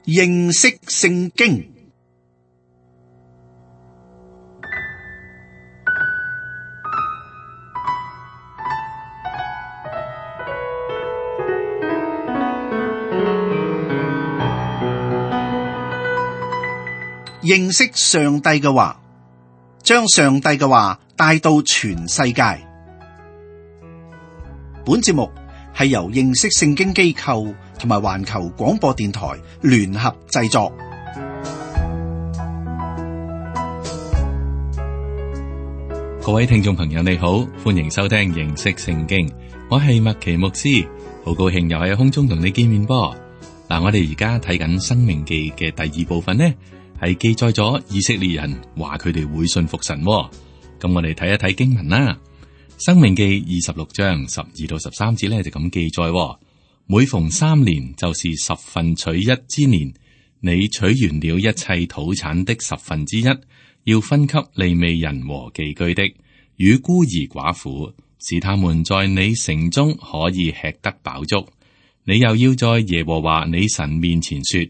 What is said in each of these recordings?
認識聖經。認識上帝嘅話，將上帝嘅話帶到全世界。本節目係由認識聖經機構同埋環球廣播電台聯合製作。各位聽眾朋友你好，歡迎收聽認識聖經，我係麥奇牧師，好高興又喺空中同你見面噃。嗱，我哋而家睇緊《申命記》嘅第二部分呢，係記載咗以色列人話佢哋會信服神。咁我哋睇一睇經文啦，《申命記》26章12到13節咧就咁記載：每逢3年，就是10分取一之年，你取完了一切土產的10分之一，要分給利未人和寄居的與孤兒寡婦，使他們在你城中可以吃得飽足。你又要在耶和華你神面前說：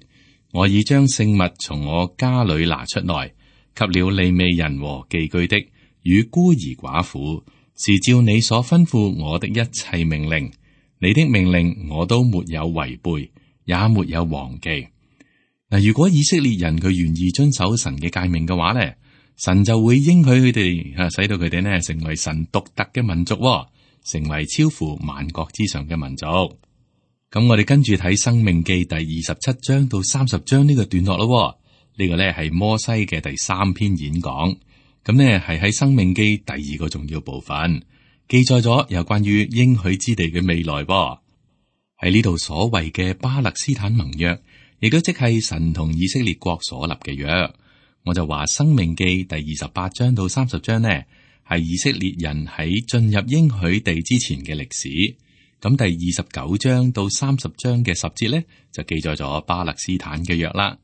我已將聖物從我家裏拿出來，給了利未人和寄居的與孤兒寡婦，是照你所吩咐我的一切命令。你的命令我都沒有違背，也沒有忘記。嗱，如果以色列人佢願意遵守神嘅誡命嘅話咧，神就會應許佢哋，使到佢哋呢成為神獨特嘅民族，成為超乎萬國之上嘅民族。咁我哋跟住睇《申命記》第27章到30章呢個段落咯。呢個呢係摩西嘅第3篇演講，咁呢係喺《申命記》第2個重要部分，記載咗有關於應許之地嘅未來。喺呢度所謂嘅巴勒斯坦盟約，亦都即係神同以色列國所立嘅約。我就話《申命記》第28章到30章呢，係以色列人喺進入應許地之前嘅歷史。咁第29章到30章嘅10節咧，就記載咗巴勒斯坦嘅約啦。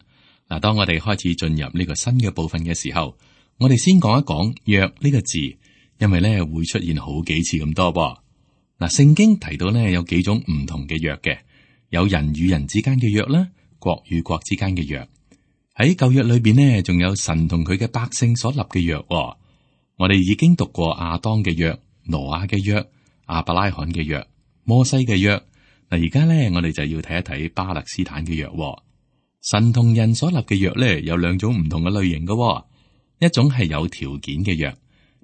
嗱，當我哋開始進入呢個新嘅部分嘅時候，我哋先講一講約呢個字，因為咧會出現好幾次咁多噃。嗱，聖經提到咧有幾種唔同嘅約嘅，有人與人之間嘅約啦，國與國之間嘅約。喺舊約裏邊呢，仲有神同佢嘅百姓所立嘅約。我哋已經讀過亞當嘅約、挪亞嘅約、亞伯拉罕嘅約、摩西嘅約。嗱，而家咧我哋就要睇一睇巴勒斯坦嘅約。神同人所立嘅約咧有兩種唔同嘅類型嘅，一種係有條件嘅約，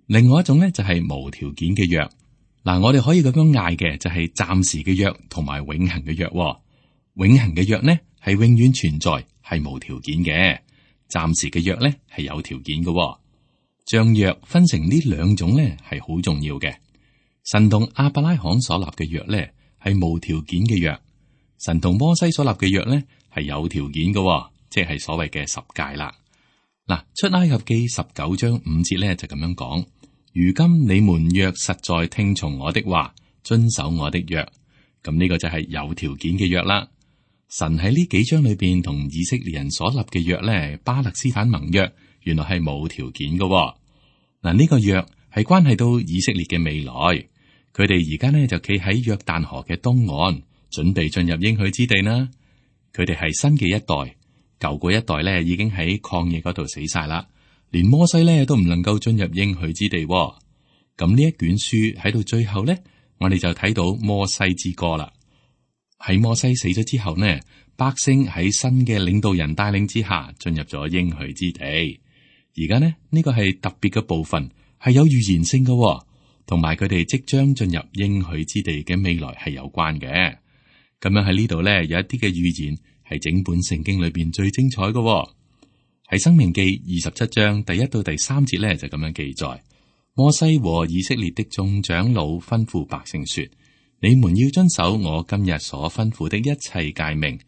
另外一種咧就係無條件嘅約。嗱，我哋可以咁樣嗌嘅就係暫時嘅約同埋永恆嘅約。永恆嘅約呢係永遠存在，係無條件嘅；暫時嘅約咧係有條件嘅。將約分成呢兩種咧係好重要嘅。神同亞伯拉罕所立嘅約咧係無條件嘅約，神同摩西所立嘅約咧係有條件嘅，即係所謂嘅十誡啦。嗱，出埃及記19章5節咧就咁樣講：如今你們若實在聽從我的話，遵守我的約，咁呢個就係有條件嘅約啦。神喺呢幾章裏邊同以色列人所立嘅約咧，巴勒斯坦盟約原來係冇條件嘅。嗱，呢個約係關係到以色列嘅未來，佢哋而家呢就企喺約旦河嘅東岸，準備進入應許之地啦。佢哋係新嘅一代，舊嗰一代咧已經喺曠野嗰度死晒啦，連摩西咧都唔能夠進入應許之地。咁呢一卷書喺到最後咧，我哋就睇到摩西之歌啦。喺摩西死咗之後呢，百姓喺新嘅領導人帶領之下進入咗應許之地。而家呢個係特別嘅部分，係有預言性嘅，同埋佢哋即將進入應許之地嘅未來係有關嘅。咁樣喺呢度呢，有一啲嘅預言係整本聖經裏邊最精彩嘅。喺申命記27章第1到第3節呢，就咁樣記載：摩西和以色列的眾長老吩咐百姓說：你們要遵守我今日所吩咐的一切誡命。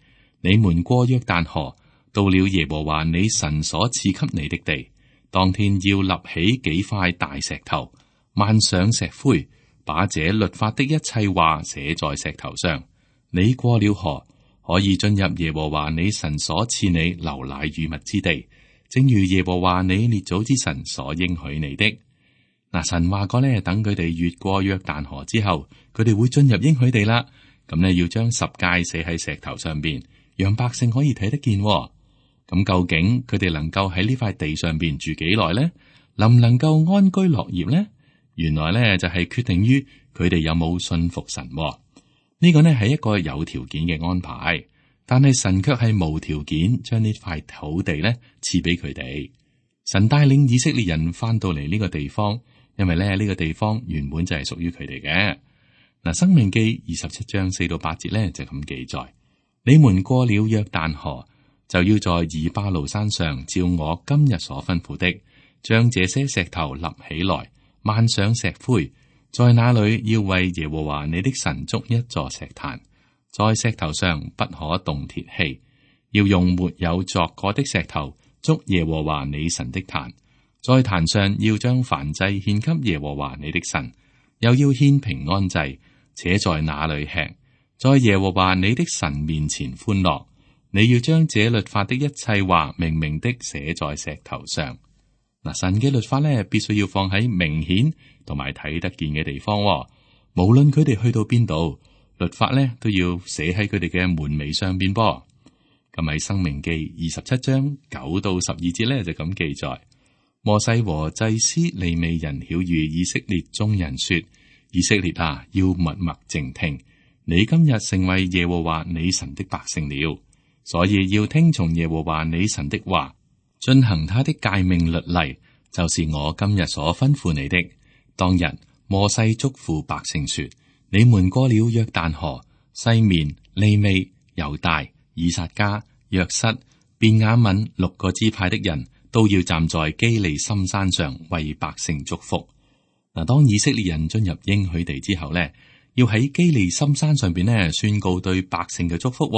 你們過約旦河，到了耶和華你神所賜給你的地，當天要立起幾塊大石頭，漫上石灰，把這律法的一切話寫在石頭上。你過了河，可以進入耶和華你神所賜你流奶與蜜之地，正如耶和華你列祖之神所應許你的。嗱，神話過咧，等佢哋越過約旦河之後，佢哋會進入應許地啦。咁咧，要將十誡寫喺石頭上邊，讓百姓可以睇得見。咁究竟佢哋能夠喺呢塊地上邊住幾耐呢？能唔能夠安居樂業呢？原來呢就係決定於佢哋有冇信服神。呢個呢係一個有條件嘅安排，但係神卻係無條件將呢塊土地呢賜俾佢哋。神帶領以色列人翻到嚟呢個地方，因為呢個地方原本就係屬於佢哋嘅。嗱，申命記27章4到8節呢就咁記載：你們過了約旦河，就要在以巴路山上照我今日所吩咐的，將這些石頭立起來，漫上石灰，在那裏要為耶和華你的神築一座石壇，在石頭上不可動鐵器，要用沒有鑿過的石頭築耶和華你神的壇，在壇上要將燔祭獻給耶和華你的神，又要獻平安祭，且在那裏吃，在耶和華你的神面前歡樂。你要將這律法的一切話明明的寫在石頭上。嗱，神嘅律法咧，必須要放喺明顯同埋睇得見嘅地方。無論佢哋去到邊度，律法咧都要寫喺佢哋嘅門楣上邊噃。咁喺申命記27章9到12節咧就咁記載：摩西和祭司利未人曉諭以色列眾人說：以色列啊，要默默靜聽，你今日成為耶和華你神的百姓了。所以要聽從耶和華你神的話，遵行他的誡命律例，就是我今日所吩咐你的。當日摩西囑咐百姓說：你們過了約旦河，西面、利未、猶大、以薩迦、約瑟、便雅憫6個支派的人都要站在基利心山上為百姓祝福。嗱，當以色列人進入應許地之後呢，要喺基利心山上邊呢宣告對百姓嘅祝福。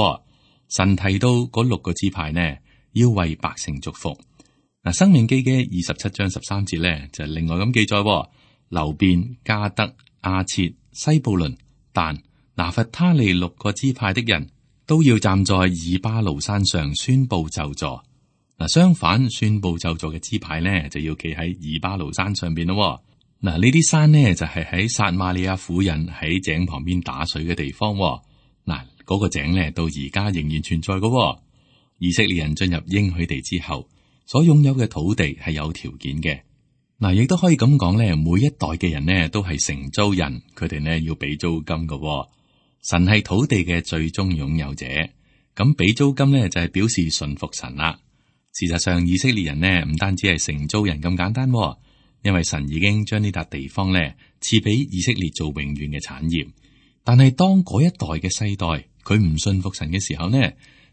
神提到嗰6個支派呢，要為百姓祝福。嗱，申命記嘅27章13節咧，就另外咁記載：流便、迦得、亞設、西布倫、但、拿弗他利6個支派的人都要站在以巴路山上宣布咒詛。嗱，相反宣布咒詛嘅支派呢，就要企喺以巴路山上邊咯。嗱，呢啲山呢，就係喺撒瑪利亞婦人喺井旁邊打水嘅地方。嗱，嗰個井咧到而家仍然存在嘅。以色列人進入應許地之後，所擁有嘅土地係有條件嘅。嗱，亦都可以咁講咧，每一代嘅人呢都係承租人，佢哋呢要俾租金嘅。神係土地嘅最終擁有者，咁俾租金呢就係表示順服神啦。事實上，以色列人呢唔單止係承租人咁簡單，因為神已經將呢笪地方呢賜俾以色列做永遠嘅產業。但係當嗰一代嘅世代佢唔信服神嘅時候呢，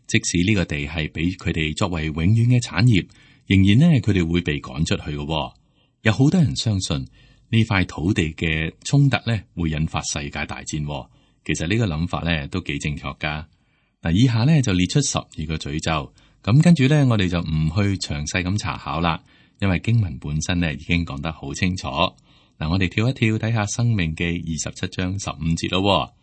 即使呢個地係俾佢哋作為永遠嘅產業，仍然呢佢哋會被趕出去嘅。有好多人相信呢塊土地嘅衝突呢會引發世界大戰。其實呢個諗法呢都幾正確噶。嗱，以下呢就列出12個詛咒，咁跟住呢我哋就唔去詳細咁查考啦，因為經文本身呢已經講得好清楚。嗱，我哋跳一跳睇下《申命記》27章15節咯。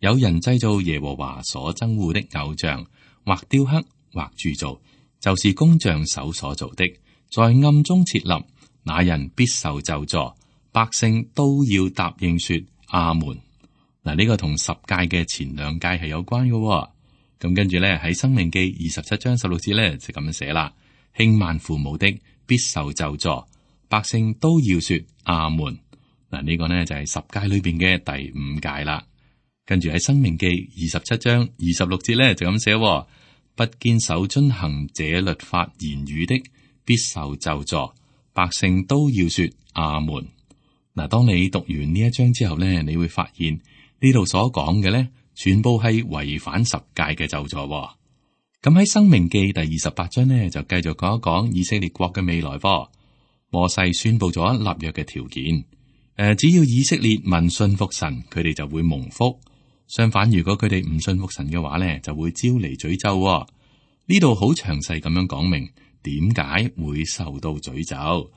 有人製造耶和華所憎惡的偶像，或雕刻，或鑄造，就是工匠手所做的，在暗中設立，那人必受咒詛。百姓都要答應說阿門。嗱，呢個同10誡嘅前2誡係有關嘅。咁跟住咧喺《申命記》27章16節咧就咁樣寫啦：輕慢父母的必受咒詛。百姓都要說阿門。嗱，呢個呢就係10誡裏邊嘅第5誡啦。跟住喺《申命記》27章26節咧就咁寫：不堅守遵行這律法言語的，必受咒詛。百姓都要說阿門。嗱，當你讀完呢一章之後咧，你會發現呢度所講嘅咧，全部係違反10誡嘅咒詛。咁喺《申命記》第28章呢，就繼續講一講以色列國嘅未來。摩西宣布咗立約嘅條件。只要以色列民信服神，佢哋就會蒙福。相反，如果佢哋唔信服神嘅話咧，就會招嚟詛咒。呢度好詳細咁樣講明點解會受到詛咒。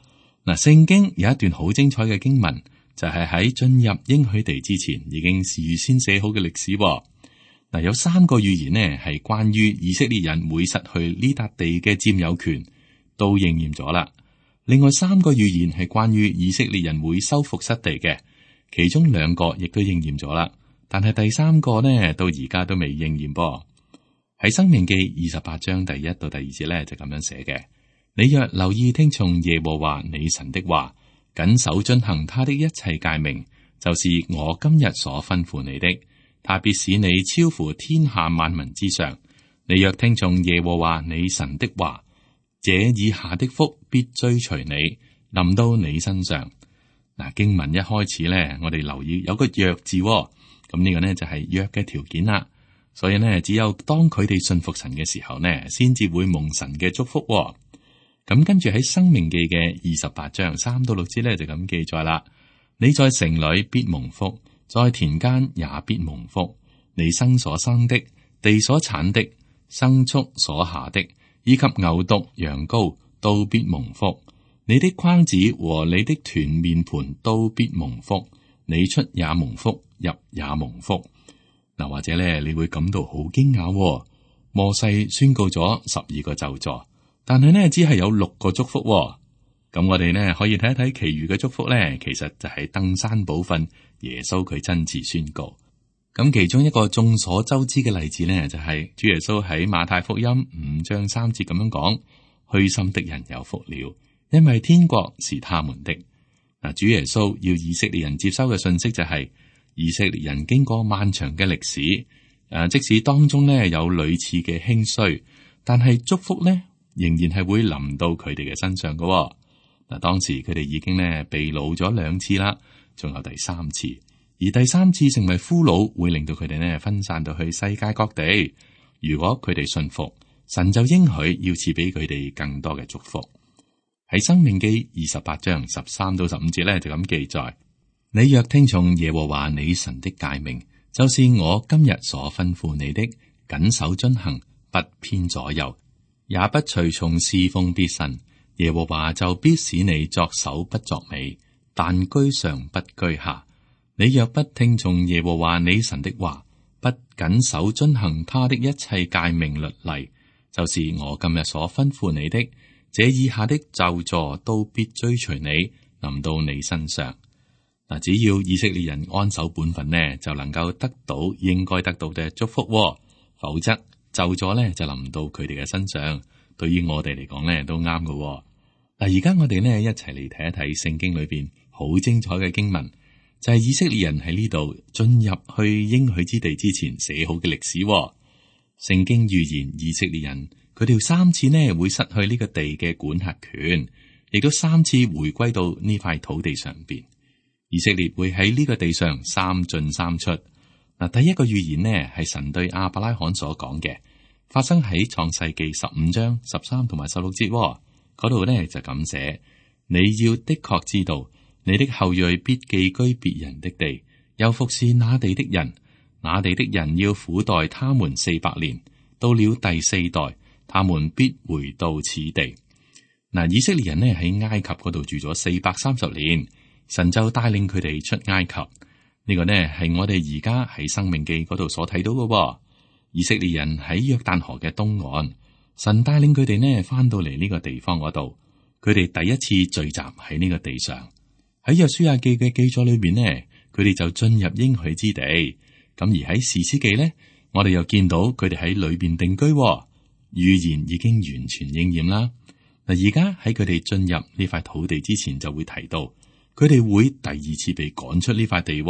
嗱，聖經有一段好精彩嘅經文，就係喺進入應許地之前已經事先寫好嘅歷史。嗱，有3個預言呢係關於以色列人會失去呢笪地嘅佔有權，都應驗咗啦。另外3個預言係關於以色列人會收復失地嘅，其中2個亦都應驗咗啦。但係第3個呢，到而家都未應驗噃。喺申命記28章第1到第2節咧就咁樣寫嘅：你若留意聽從耶和華你神的話，謹守遵行他的一切誡命，就是我今日所吩咐你的，他必使你超乎天下萬民之上。你若聽從耶和華你神的話，這以下的福必追隨你，臨到你身上。嗱，經文一開始咧，我哋留意有個約字，咁呢個呢就係約嘅條件啦。所以呢，只有當佢哋信服神嘅時候呢，先至會蒙神嘅祝福。咁跟住喺申命記嘅28章3到6節咧就咁記載啦：你在城裏必蒙福，在田間也必蒙福。你生所生的，地所產的，牲畜所下的，以及牛犢羊羔都必蒙福。你的筐子和你的團麵盤都必蒙福。你出也蒙福，入也蒙福。嗱，或者咧你會感到好驚訝，摩西宣告咗12個咒詛，但係呢只係有6個祝福。咁我哋呢可以睇一睇其餘嘅祝福呢，其實就係登山寶訓，耶穌佢親自宣告。咁其中一個眾所周知嘅例子呢，就係主耶穌喺馬太福音5章3節咁樣講：虛心的人有福了，因為天國是他們的。嗱，主耶穌要以色列人接收嘅信息就係，以色列人經過漫長嘅歷史，即使當中呢有屢次嘅興衰，但係祝福呢仍然係會臨到佢哋嘅身上嘅。嗱，當時佢哋已經呢被擄咗2次啦，仲有第3次，而第3次成為俘虜，會令到佢哋呢分散到去世界各地。如果佢哋信服，神就應許要賜俾佢哋更多嘅祝福。喺申命記28章13到15節咧就咁記載：你若聽從耶和華你神的誡命，就是我今日所吩咐你的，謹守遵行，不偏左右，也不隨從侍奉別神，耶和華就必使你作首不作尾，但居上不居下。你若不聽從耶和華你神的話，不謹守遵行他的一切誡命律例，就是我今日所吩咐你的，這以下的咒詛都必追隨你，臨到你身上。嗱，只要以色列人安守本分呢，就能夠得到應該得到嘅祝福，否則咒詛呢就臨到佢哋嘅身上。對於我哋嚟講呢，都啱嘅。嗱，而家我哋呢一齊嚟睇一睇聖經裏邊好精彩嘅經文，就係以色列人喺呢度進入去應許之地之前寫好嘅歷史。聖經預言以色列人佢哋3次呢會失去呢個地嘅管轄權，亦都3次回歸到呢塊土地上邊。以色列會喺呢個地上3進3出。嗱，第一個預言呢係神對亞伯拉罕所講嘅，發生喺創世記15章13同埋16節。嗰度呢就咁寫：你要的確知道，你的後裔必寄居別人的地，又服侍那地的人，那地的人要苦待他們400年，到了第4代，他們必回到此地。嗱，以色列人呢喺埃及嗰度住咗430年。神就帶領佢哋出埃及，呢個呢係我哋而家喺申命記嗰度所睇到嘅。以色列人喺約旦河嘅東岸，神帶領佢哋呢翻到嚟呢個地方嗰度，佢哋第一次聚集喺呢個地上。喺約書亞記嘅記載裏邊呢，佢哋就進入應許之地。咁而喺士師記呢，我哋又見到佢哋喺裏邊定居，預言已經完全應驗啦。嗱，而家喺佢哋進入呢塊土地之前，就會提到。佢哋會第2次被趕出呢塊地，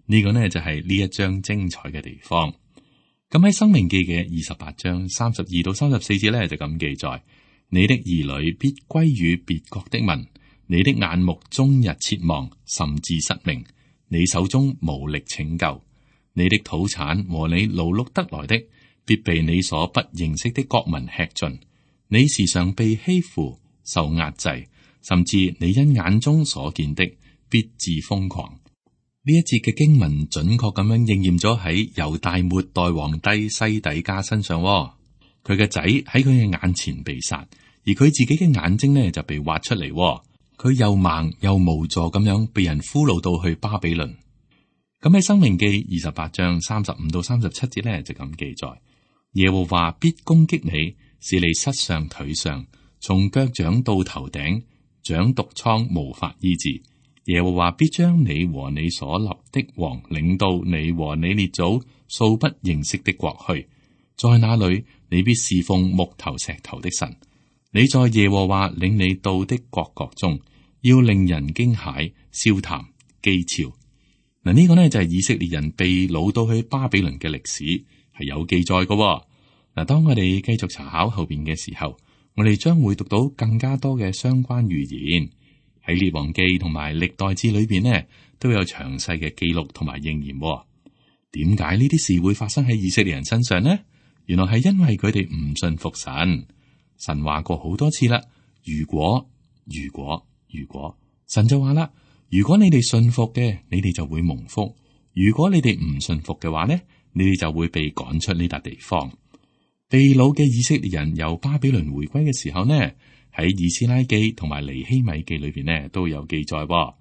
呢個呢就係呢一章精彩嘅地方。咁喺申命記嘅28章32到34節呢，就咁記載：你的兒女必歸於別國的民，你的眼目終日切望，甚至失明，你手中無力拯救，你的土產和你勞碌得來的，必被你所不認識的國民吃盡，你時常被欺負，受壓制。甚至你因眼中所見的，必致瘋狂。呢一節嘅經文準確咁樣應驗咗喺猶大末代皇帝西底家身上。佢嘅仔喺佢嘅眼前被殺，而佢自己嘅眼睛呢就被挖出嚟。佢又盲又無助咁樣被人俘虜到去巴比倫。咁喺申命記28章35到37節呢就咁記載：耶和華必攻擊你，使你膝上腿上，從腳掌到頭頂。長毒瘡無法醫治，耶和華必將你和你所立的王領到你和你列祖素不認識的國去，在那裏你必侍奉木頭石頭的神。你在耶和華領你到的各國中，要令人驚駭、笑談、譏誚。嗱，呢個呢就係以色列人被擄到去巴比倫嘅歷史，係有記載嘅。嗱，當我哋繼續查考後邊嘅時候，我哋將會讀到更加多嘅相關預言。喺列王記同埋歷代志裏邊呢，都有詳細嘅記錄同埋應驗。點解呢啲事會發生喺以色列人身上呢？原來係因為佢哋唔信服神。神話過好多次啦，如果，神就話啦，如果你哋信服嘅，你哋就會蒙福；如果你哋唔信服嘅話呢，你哋就會被趕出呢笪地方。被擄嘅以色列人由巴比倫回歸嘅時候呢，喺以斯拉記同埋尼希米記裏邊呢都有記載。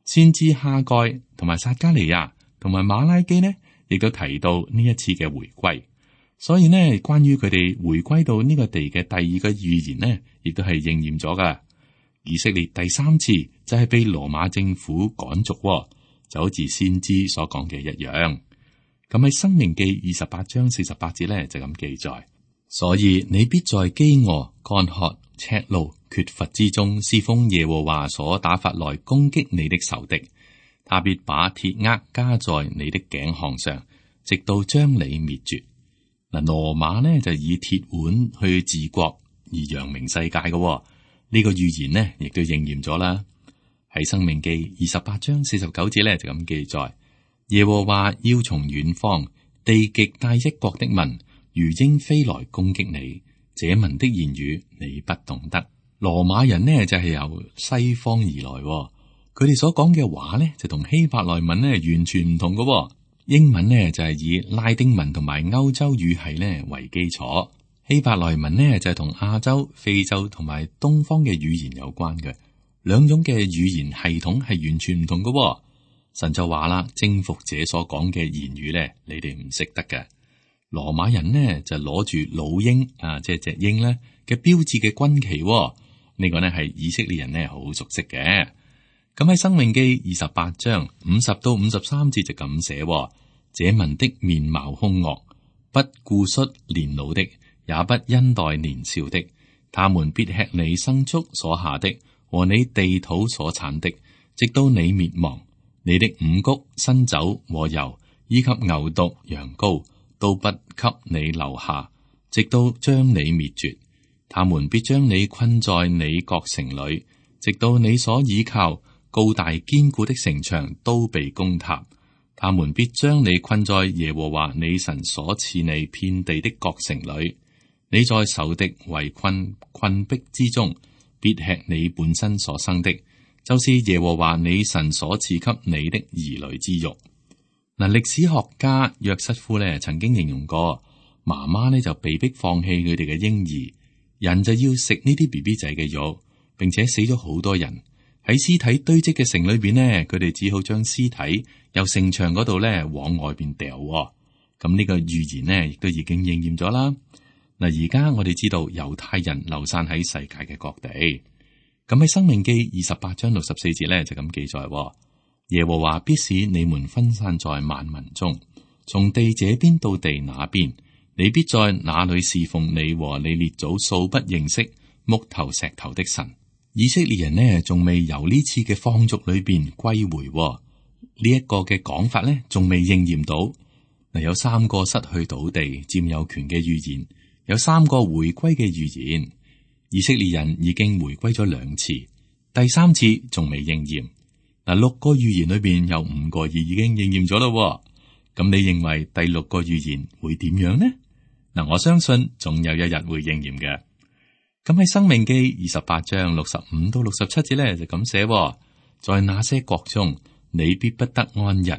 先知哈該同埋撒迦利亞同埋馬拉基呢，亦都提到呢一次嘅回歸。所以呢，關於佢哋回歸到呢個地嘅第二個預言呢，亦都係應驗咗噶。以色列第三次就係被羅馬政府趕逐，就好似先知所講嘅一樣。咁喺申命記28章48節呢，就咁記載。所以你必在飢餓、乾渴、赤露、缺乏之中侍奉耶和華所打發來攻擊你的仇敵，他必把鐵軛加在你的頸項上，直到將你滅絕。嗱，羅馬呢就以鐵腕去治國而揚名世界嘅，呢個預言呢亦都應驗咗啦。喺申命記28章49節呢就咁記載：耶和華要從遠方地極帶一國的民如鷹飛來攻擊你，這民的言語你不懂得。羅馬人呢就係由西方而來，佢哋所講嘅話呢就同希伯來文呢完全唔同嘅。英文呢就係以拉丁文同埋歐洲語系呢為基礎，希伯來文呢就係同亞洲、非洲同埋東方嘅語言有關嘅。兩種嘅語言系統係完全唔同嘅。神就話啦，征服者所講嘅言語呢，你哋唔識得嘅。羅馬人呢就攞住老鷹即係隻鷹呢嘅標誌嘅軍旗，呢個呢係以色列人呢好熟悉嘅。咁喺申命記28章50到53節就咁寫：這民的面貌兇惡，不顧恤年老的，也不恩待年少的。他們必吃你牲畜所下的和你地土所產的，直到你滅亡。你的五穀、新酒和油，以及牛犢、羊羔，都不給你留下，直到將你滅絕。他們必將你困在你各城裏，直到你所倚靠高大堅固的城牆都被攻塌。他們必將你困在耶和華你神所賜你遍地的各城裏。你在仇敵圍困逼之中，必吃你本身所生的，就是耶和華你神所賜給你的兒女之肉。嗱，歷史學家約瑟夫呢曾經形容過，媽媽呢就被迫放棄佢哋嘅嬰兒，人就要食呢啲 BB 仔嘅肉，並且死咗好多人。喺屍體堆積嘅城裏邊呢，佢哋只好將屍體由城牆嗰度呢往外邊掉。咁呢個預言呢，亦都已經應驗咗啦。嗱，而家我哋知道猶太人流散喺世界嘅各地。咁喺申命記28章64節呢，就咁記載：耶和華必使你們分散在萬民中，從地這邊到地那邊，你必在那裏侍奉你和你列祖素不認識木頭石頭的神。以色列人呢，仲未由呢次嘅放逐裏邊歸回，呢一個嘅講法呢，仲未應驗到。嗱，有3個失去土地佔有權嘅預言，有3個回歸嘅預言。以色列人已經回歸咗2次，第3次仲未應驗。嗱，6個預言裏邊有5個已經應驗咗咯。咁你認為第6個預言會點樣呢？嗱，我相信總有一日會應驗嘅。咁喺申命記28章65到67節咧就咁寫：在那些國中，你必不得安逸，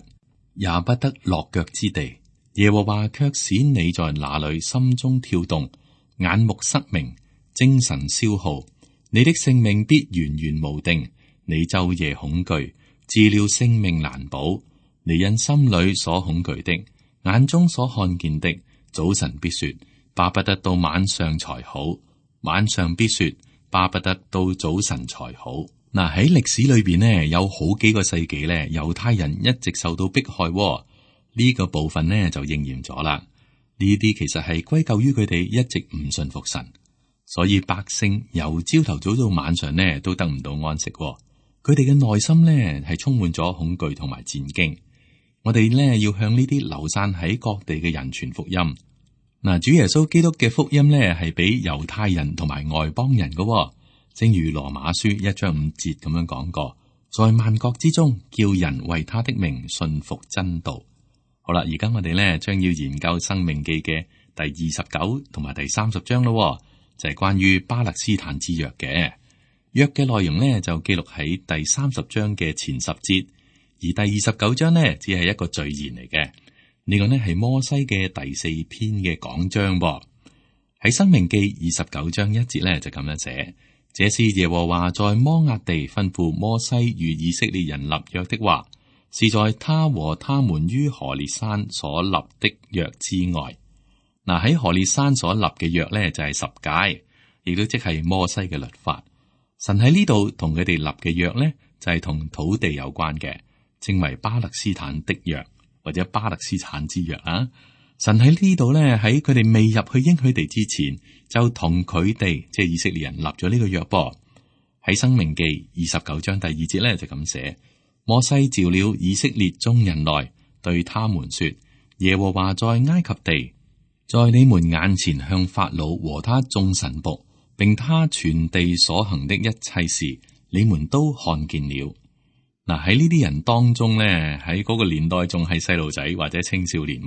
也不得落腳之地。耶和華卻使你在那裏心中跳動，眼目失明，精神消耗。你的性命必懸懸無定，你晝夜恐懼，治了性命難保。你因心裏所恐懼的，眼中所看見的，早晨必說巴不得到晚上才好。晚上必說巴不得到早晨才好。嗱，喺歷史裏邊呢，有好幾個世紀咧，猶太人一直受到迫害，呢個部分呢就應驗咗啦。呢啲其實係歸咎於佢哋一直唔信服神，所以百姓由朝頭早到晚上呢都得唔到安息。佢哋嘅內心呢係充滿咗恐懼同埋戰驚。我哋呢要向呢啲流散喺各地嘅人傳福音。嗱，主耶穌基督嘅福音呢係俾猶太人同埋外邦人嘅，正如羅馬書1章5節咁樣講過，在萬國之中叫人為他的名信服真道。好啦，而家我哋呢將要研究申命記嘅第29同埋第30章咯，就係關於巴勒斯坦之約嘅。約嘅內容呢就記錄喺第30章嘅前10節，而第29章呢只係一個序言嚟嘅。呢個呢係摩西嘅第4篇嘅講章噃。喺申命記29章1節呢就咁樣寫：這是耶和華在摩押地吩咐摩西與以色列人立約的話，是在他和他們於何烈山所立的約之外。嗱，喺何烈山所立嘅約呢就係10誡，亦都即係摩西嘅律法。神喺呢度同佢哋立嘅約呢就係同土地有關嘅，稱為巴勒斯坦的約或者巴勒斯坦之約啊。神喺呢度呢，喺佢哋未入去應許地之前，就同佢哋即係以色列人立咗呢個約噃。喺申命記29章第2節呢就咁寫：摩西召了以色列眾人來，對他們說：耶和華在埃及地，在你們眼前向法老和他眾臣僕，並他全地所行的一切事，你們都看見了。嗱，喺呢啲人當中呢，喺嗰個年代仲係細路仔或者青少年。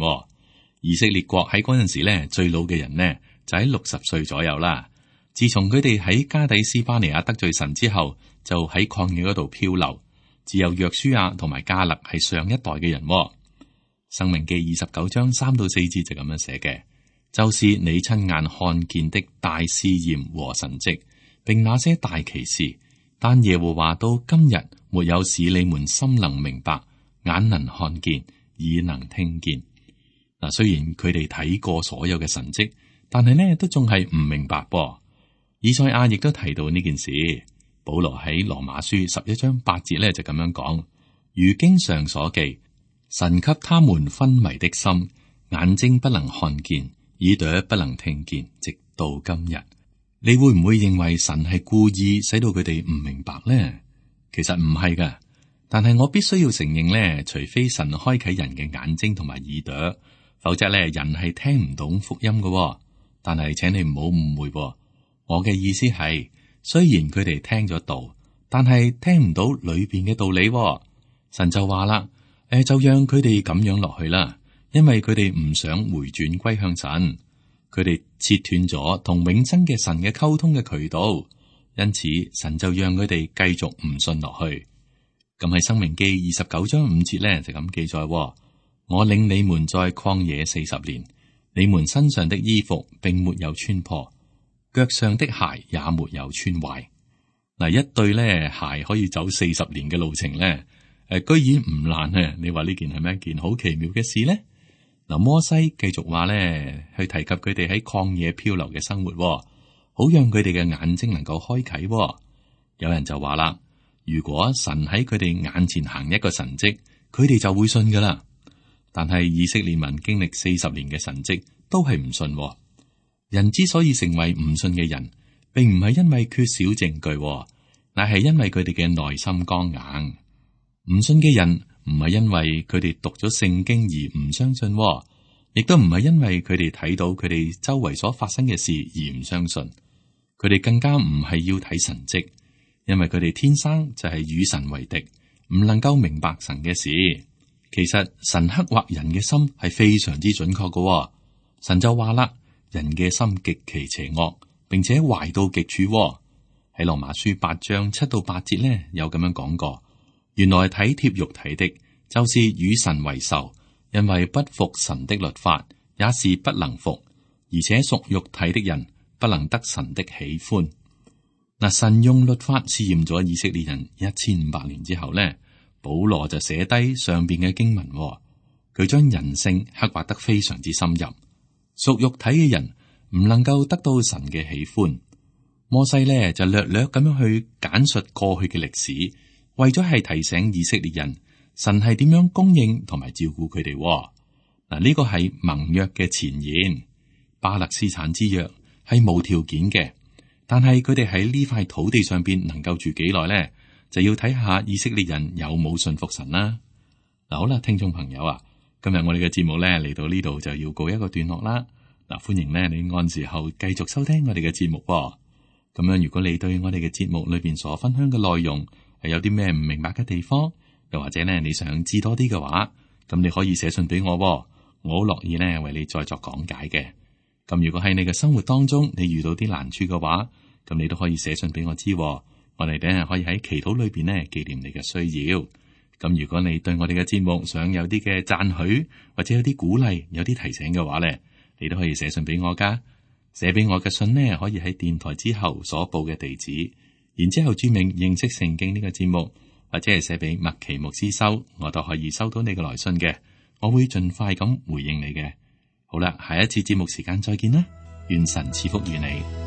以色列國喺嗰陣時呢，最老嘅人呢就喺60歲左右啦。自從佢哋喺加底斯巴尼亞得罪神之後，就喺曠野嗰度漂流。只有約書亞同埋迦勒係上一代嘅人。申命記29章3到4節就咁樣寫嘅。就是你親眼看見的大試驗和神蹟，並那些大奇事，但耶和華到今日沒有使你們心能明白，眼能看見，耳能聽見。嗱，雖然佢哋睇過所有嘅神蹟，但係呢都仲係唔明白噃。以賽亞亦都提到呢件事。保羅喺羅馬書11章8節呢就咁樣講：如經上所記，神給他們昏迷的心，眼睛不能看見，耳朵不能聽見，直到今日。你會唔會認為神係故意使到佢哋唔明白呢？其實唔係噶，但係我必須要承認呢，除非神開啟人嘅眼睛同埋耳朵，否則呢人係聽唔懂福音噶。但係請你唔好誤會，我嘅意思係，雖然佢哋聽咗道，但係聽唔到裏邊嘅道理。神就話啦，就讓佢哋咁樣落去啦。因為佢哋唔想回轉歸向神，佢哋切斷咗同永生嘅神嘅溝通嘅渠道，因此神就讓佢哋繼續唔信落去。咁喺申命記29章5節咧就咁記載：我領你們在曠野40年，你們身上的衣服並沒有穿破，腳上的鞋也沒有穿壞。嗱，一對咧鞋可以走40年嘅路程咧，居然唔爛啊！你話呢件係咪一件好奇妙嘅事呢？嗱，摩西繼續話咧，去提及佢哋喺曠野漂流嘅生活，好讓佢哋嘅眼睛能夠開啟。有人就話啦，如果神喺佢哋眼前行一個神蹟，佢哋就會信噶啦。但係以色列民經歷40年嘅神蹟，都係唔信。人之所以成為唔信嘅人，並唔係因為缺少證據，乃係因為佢哋嘅內心剛硬。唔信嘅人，唔係因為佢哋讀咗聖經而唔相信，亦都唔係因為佢哋睇到佢哋周圍所發生嘅事而唔相信。佢哋更加唔係要睇神蹟，因為佢哋天生就係與神為敵，唔能夠明白神嘅事。其實神刻畫人嘅心係非常之準確嘅。神就話啦，人嘅心極其邪惡，並且壞到極處。喺羅馬書8章7到8節呢，有咁樣講過。原來體貼肉體的，就是與神為仇，因為不服神的律法，也是不能服，而且屬肉體的人不能得神的喜歡。嗱，神用律法試驗咗以色列人1500年之後呢，保羅就寫低上邊嘅經文，佢將人性刻畫得非常之深入。屬肉體嘅人唔能夠得到神嘅喜歡。摩西呢就略略咁樣去簡述過去嘅歷史。為咗係提醒以色列人，神係點樣供應同埋照顧佢哋。嗱，呢個係盟約嘅前言。巴勒斯坦之約係無條件嘅，但係佢哋喺呢塊土地上邊能夠住幾耐呢？就要睇下以色列人有冇信服神啦。嗱，好啦，聽眾朋友啊，今日我哋嘅節目咧嚟到呢度就要告一個段落啦。嗱，歡迎咧你按時候繼續收聽我哋嘅節目。咁樣，如果你對我哋嘅節目裏邊所分享嘅內容係有啲咩唔明白嘅地方，又或者咧你想知多啲嘅話，咁你可以寫信俾我，我好樂意咧為你再作講解嘅。咁如果喺你嘅生活當中你遇到啲難處嘅話，咁你都可以寫信俾我知。我哋咧可以喺祈禱裏邊咧紀念你嘅需要。咁如果你對我哋嘅節目想有啲嘅讚許，或者有啲鼓勵，有啲提醒嘅話咧，你都可以寫信俾我噶。寫俾我嘅信呢，可以喺電台之後所報嘅地址，然之後注明認識聖經呢個節目，或者係寫俾麥奇牧師收，我都可以收到你嘅來信嘅。我會盡快咁回應你嘅。好啦，下一次節目時間再見啦，願神賜福於你。